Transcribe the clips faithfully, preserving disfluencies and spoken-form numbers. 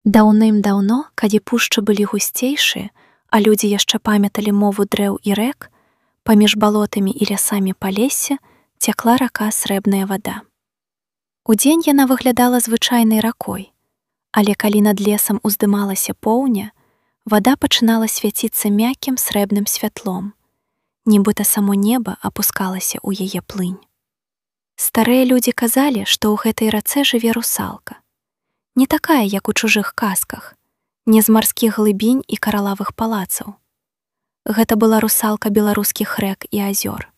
Даўным-даўно, калі пушчы былі гусцейшыя, а людзі яшчэ памяталі мову дрэў і рэк, паміж балотамі і лясамі Палесся цякла рака Срэбная вада. Удзень яна выглядала звычайнай ракой, але калі над лесам уздымалася поўня, вада пачынала свяціцца мяккім срэбным святлом, нібыта само неба апускалася ў яе плынь. Старыя людзі казалі, што ў гэтай рацэ жыве русалка. Не такая, як у чужых казках, не з марскіх глыбінь і каралавых палацаў. Гэта была русалка беларускіх рэк і азёр,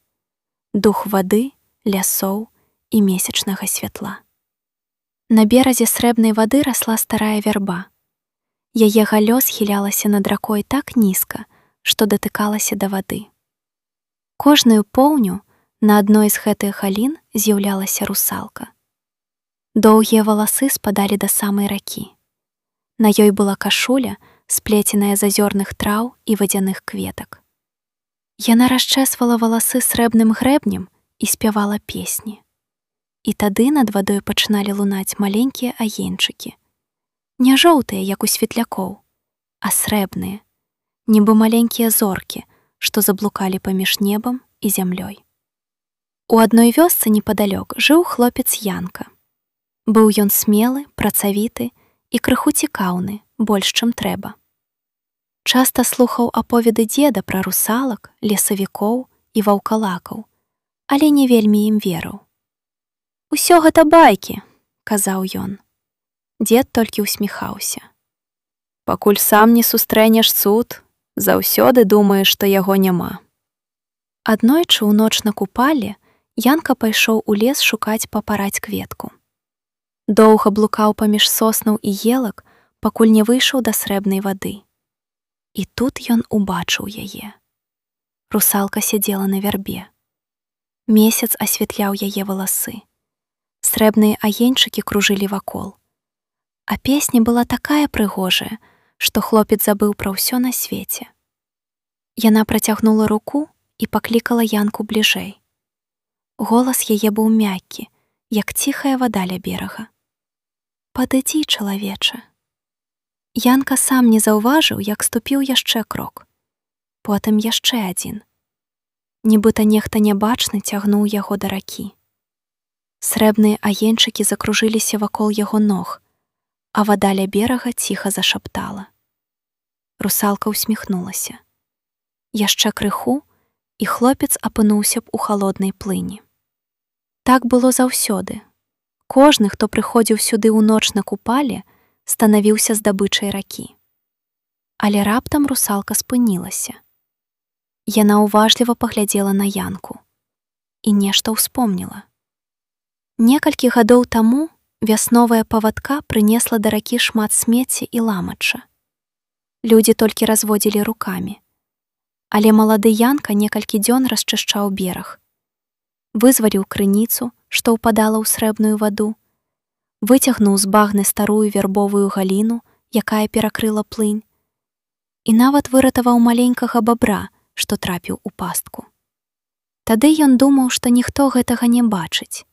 дух вады, лясоў і месячнага святла. На беразе Срэбнай вады расла старая вярба. Яе галлё схілялася над ракой так нізка, што датыкалася да вады. Кожную поўню на адной з гэтых галін з'яўлялася русалка. Доўгія валасы спадалі да самай ракі. На ёй была кашуля, сплеценая з азёрных траў і вадзяных кветак. Яна расчэсвала валасы срэбным грэбнем і спявала песні. І тады над вадой пачыналі лунаць маленькія агеньчыкі. Не жоўтыя, як у светлякоў, а срэбныя, нібы маленькія зоркі, што заблукалі паміж небам і зямлёй. У адной вёсцы непадалёк жыў хлопец Янка. Быў ён смелы, працавіты і крыху цікаўны, больш, чым трэба. Часта слухаў аповеды дзеда пра русалак, лесавікоў і ваўкалакаў, але не вельмі ім верыў. «Усё гэта байкі», — казаў ён. Дзед толькі ўсміхаўся. «Пакуль сам не сустрэнеш цуд, заўсёды думаеш, што яго няма». Аднойчы ў ноч на купале Янка пайшоў у лес шукаць папараць кветку. Доўга блукаў паміж соснаў і елак, пакуль не выйшаў да Срэбнай вады. І тут ён убачыў яе. Русалка сядзела на вярбе. Месяц асвятляў яе валасы. Срэбныя агеньчыкі кружылі вакол. А песня была такая прыгожая, што хлопец забыў пра ўсё на свеце. Яна працягнула руку і паклікала Янку бліжэй. Голас яе быў мяккі, як ціхая вада ля берага. «Падыдзі, чалавеча». Янка сам не заўважыў, як ступіў яшчэ крок. Потым яшчэ адзін. Нібыта нехта нябачны цягнуў яго да ракі. Срэбныя агеньчыкі закружыліся вакол яго ног, а вада ля берага ціха зашаптала. Русалка ўсміхнулася. Яшчэ крыху, і хлопец апынуўся б у халоднай плыні. Так было заўсёды. Кожны, хто прыходзіў сюды ў ноч на купале, станавіўся здабычай ракі. Але раптам русалка спынілася. Яна уважліва паглядзела на Янку і нешта ўспомніла. Некалькі гадоў таму вясновая павадка прынесла да ракі шмат смецця і ламача. Людзі толькі разводзілі рукамі. Але малады Янка некалькі дзён расчышчаў бераг. Вызваліў крыніцу, што ўпадала ў срэбную ваду, выцягнуў з багны старую вярбовую галіну, якая перакрыла плынь, і нават выратаваў маленькага бабра, што трапіў у пастку. Тады ён думаў, што ніхто гэтага не бачыць.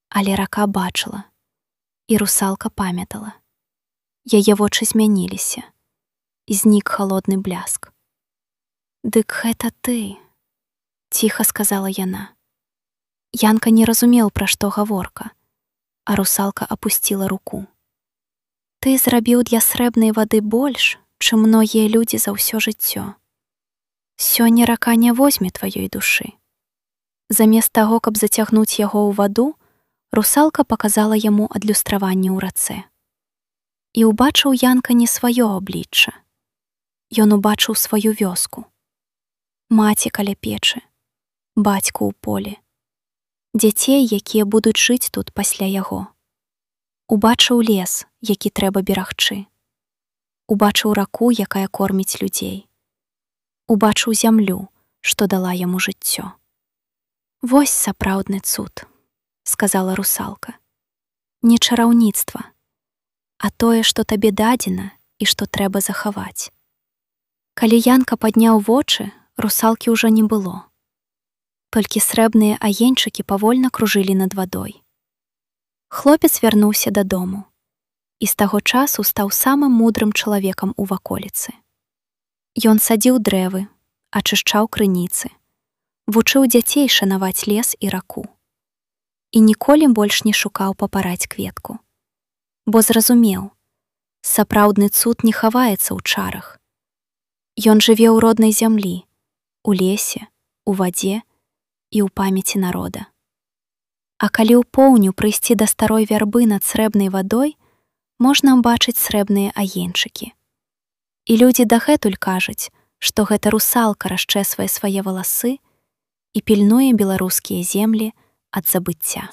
Але рака бачыла, і русалка памятала. Яе вочы змяніліся, і знік халодны бляск. «Дык гэта ты», — ціха сказала яна. Янка не разумеў, пра што гаворка, а русалка апусціла руку. «Ты зрабіў для Срэбнай вады больш, чым многія людзі за ўсё жыццё. Сёння рака не возьме тваёй душы». Замест таго, каб зацягнуць яго ў ваду, русалка паказала яму адлюстраванне ў рацэ. І ўбачыў Янка не сваё аблічча. Ён убачыў сваю вёску. Маці каля печы, бацьку ў полі. Дзяцей, якія будуць жыць тут пасля яго. Убачыў лес, які трэба берагчы. Убачыў раку, якая корміць людзей. Убачыў зямлю, што дала яму жыццё. «Вось сапраўдны цуд», — сказала русалка. «Не чараўніцтва, а тое, што табе дадзена і што трэба захаваць». Калі Янка падняў вочы, русалкі ўжо не было. Толькі срэбныя агеньчыкі павольна кружылі над вадой. Хлопец вярнуўся дадому. і з таго часу стаў самым мудрым чалавекам у ваколіцы. Ён садзіў дрэвы, ачышчаў крыніцы, вучыў дзяцей шанаваць лес і раку. І ніколі больш не шукаў папараць кветку. Бо зразумеў, сапраўдны цуд не хаваецца ў чарах. Ён жыве ў роднай зямлі, у лесе, у вадзе і ў памяці народа. А калі ў поўню прыйсці да старой вярбы над срэбнай вадой, можна ўбачыць срэбныя агеньчыкі. І людзі дагэтуль кажуць, што гэта русалка расчэсвае свае валасы і пільнуе беларускія землі ад забыцця.